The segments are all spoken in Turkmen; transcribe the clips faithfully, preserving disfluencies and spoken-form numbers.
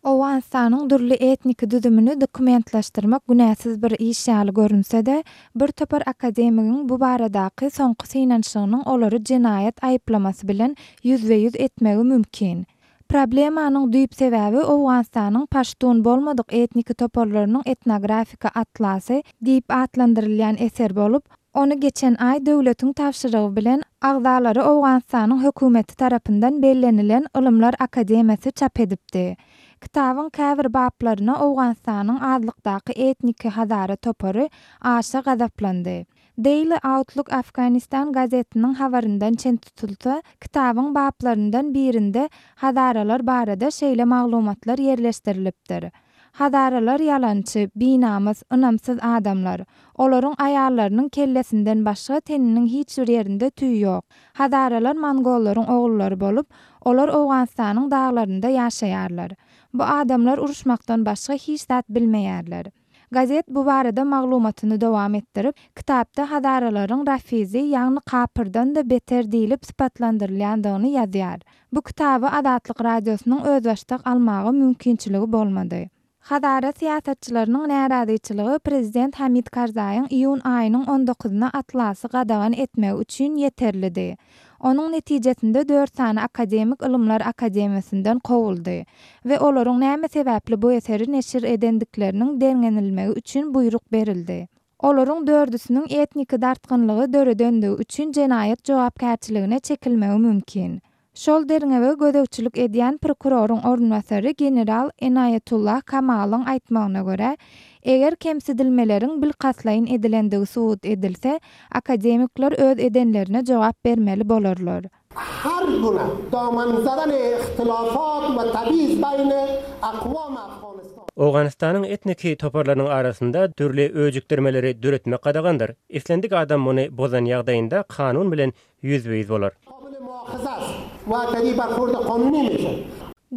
Owganystanyň dürli etniki düzümini dokumentleşdirmek günäsiz bir iş ýaly görünse-de, bir topar akademigiň bu baradaky soňky synanyşygynyň olary jenaýat aýyplamasy bilen ýüzbe-ýüz etmegi mümkin. Problemanyň düýp sebäbi Owganystanyň paştun bolmadyk etniki toparlarynyň etnografiki atlasy diýip atlandyrylýan eser bolup, ony geçen aý döwletiň tabşyrygy bilen agzalary Owganystanyň hökümeti tarapyndan bellenilen Ylymlar akademiýasy çap edipdi. Kitabyň käbir baplaryna Owganystanyň azlykdaky etniki Hazara topary aşa gazaplandy. Daily Outlook Afghanistan gazetiniň habaryndan çen tutulsa, kitabyň baplaryndan birinde Hazaralar barada şeýle maglumatlar ýerleşdirilipdir. Hazaralar ýalançy, binamys, ynamsyz adamlar. Olaryň aýallarynyň kellesinden başga teniniň hiç bir ýerinde tüý ýok. Hazaralar mongollaryň ogullary bolup, olar Owganystanyň daglarynda ýaşaýarlar. Bu adamlar uruşmakdan başga hiç zat bilmeýärler. Gazet bu barada maglumatyny dowam etdirip, kitapda Hazaralaryň rafizi, ýagny kapyrdan-da beter diýlip sypatlandyrylýandygyny ýazýar. Bu kitaby Azatlyk Radiosynyň özbaşdak almaga mümkinçiligi bolmady. Hazara syýasatçylarynyň närazyçylygy prezident Hamid Karzaýyň iýun aýynyň on dokuzyna atlasy gadagan etmegi üçin ýeterlidi. Onuň netijesinde dört sany akademik Ylymlar akademiýasyndan kowuldy we olaryň näme sebäpli bu eseri neşir edendikleriniň derňenilmegi üçin buýruk berildi. Olaryň dördüsiniň etniki dartgynlygy döredendigi üçin jenaýat jogapkärçiligine çekilmegi mümkin. Şol derňewe gözegçilik edýän prokuroryň orunbasary general Enayetullah Kamalyň aýtmagyna görä, eger kemsidilmeleriň bilkastlaýyn edilendigi subut edilse, akademikler öz edenlerine jogap bermeli bolarlar. Her guna daman zadan ihtilafat we tabiz bayne aqwam Afganistan. Owganystanyň etniki toparlarynyň arasynda dürli öjükdirmeleri döretmek gadagandyr. Islendik adam muny bozan ýagdaýynda kanun bilen ýüzbe-ýüz bolar.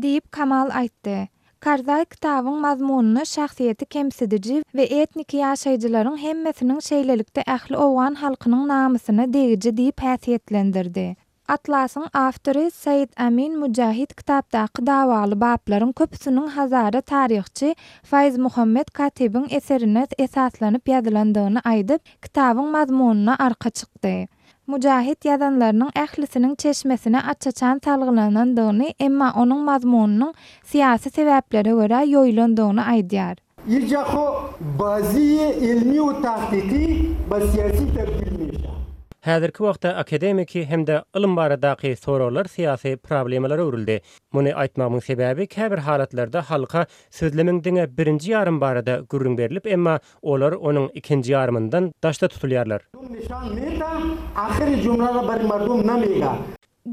Diýip Kamal aýtdy. Karzaý kitabyň mazmunyny şahsyýeti kemsidiji we etniki ýaşaýjylaryň hemmesiniň şeýlelikde ähli owgan halkynyň namysyna degiji diýip häsiýetlendirdi. Atlasyň awtory Said Amin Mujahid kitapdaky dawaly baplaryň köpüsiniň Hazara taryhçy Faiz Muhammed Katibiň eserine esaslanyp ýazylandygyny aýdyp, kitabyň mazmunyna arka çykdy. Mujahid ýazanlarynyň ählisiniň çeşmesine açaçan salgylanandygyny, emma onuň mazmunynyň syýasy sebäplere görä ýoýulandygyny aýdýar. Ýejaho bazi ilmi we tahqiqi ba syýasy tabdil meşa. Häzirki wagtda akademiki hem-de ylym baradaky soraglar syýasy problemalara öwrüldi. Muny aýtmagymyň sebäbi käbir halatlarda halka sözlemiň diňe birinji ýarym barada gürrüň berilip, emma olar onuň ikinji ýarymyndan daşda tutulýarlar.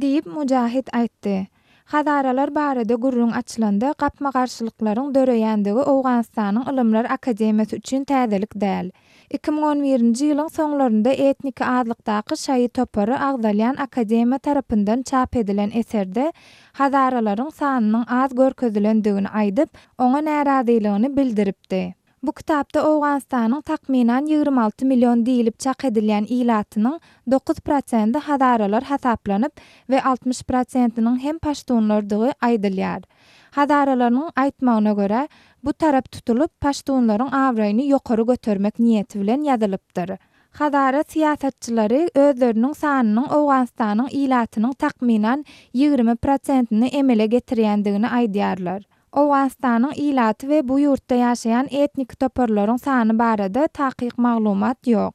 Diýip Mujahid aýtdy. Hazaralar barada gürrüň açylanda gapma-garşylyklaryň döreýändigi Owganystanyň Ylymlar akademiýasy üçin täzelik däl. iki müň on birinji ýylyň soňlarynda etniki azlykdaky şaýy topary agzalýan akademiýa tarapyndan çap edilen eserde Hazaralaryň sanynyň az görkezilendigini aýdyp, oňa närazylygyny bildiripdi. Bu kitapda Owganystanyň takmynan ýigrimi alty million diýlip çak edilýän ilatynyň dokuz prosenti Hazaralar hasaplanyp we altmyş prosentiniň hem paştunlardygy aýdylýar. Hazaralaryň aýtmagyna görä, bu tarap tutulyp paştunlaryň abraýyny ýokary götermek niýeti bilen ýazylypdyr. Hazara syýasatçylary özleriniň sanynyň Owganystanyň ilatynyň takmynan ýigrimi prosentini emele getirýändigini aýdýarlar. Owganystanyň ilaty we bu ýurtda ýaşaýan etnik toparlaryň sany barada takyk maglumat ýok.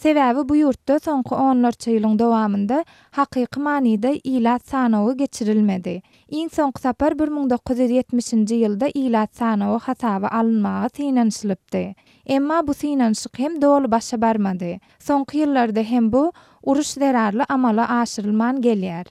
Sebäbi bu ýurtda soňky onlarça ýylyň dowamynda hakyky manyda ilat sanawy geçirilmedi. Iň soňky sapar bir müň dokuz ýüz ýetmişinji ýylda ilat sanawy hasaba alynmaga synanyşylypdy. Emma bu synanyşyk hem doly başa barmady. Soňky ýyllarda hem bu uruş zerarly amala aşyrylman gelýär.